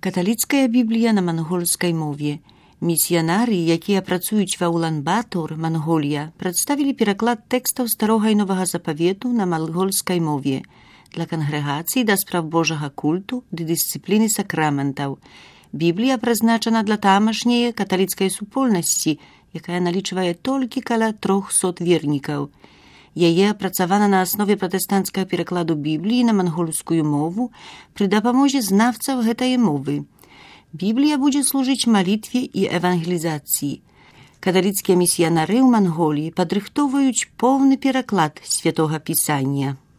Каталіцкая Біблія на мангольскай мове. Місіянары, якія працуюць ва Улан-Батор, Манголія, прадставілі пераклад тэкстаў Старога і Новага Запавету на мангольскай мове для кангрэгацыі да спраў Божага культу ды дысцыпліны сакраментаў. Біблія прызначана для тамашняе каталіцкай супольнасці, якая налічвае толькі каля 300 вернікаў. Яе апрацавана на аснове пратэстанцкага перакладу Бібліі на мангольскую мову пры дапамозе знавцаў гэтай мовы. Біблія будзе служыць малітве і евангелізацыі. Каталіцкія місіянары ў Манголіі падрыхтоўваюць поўны пераклад Святога Пісання.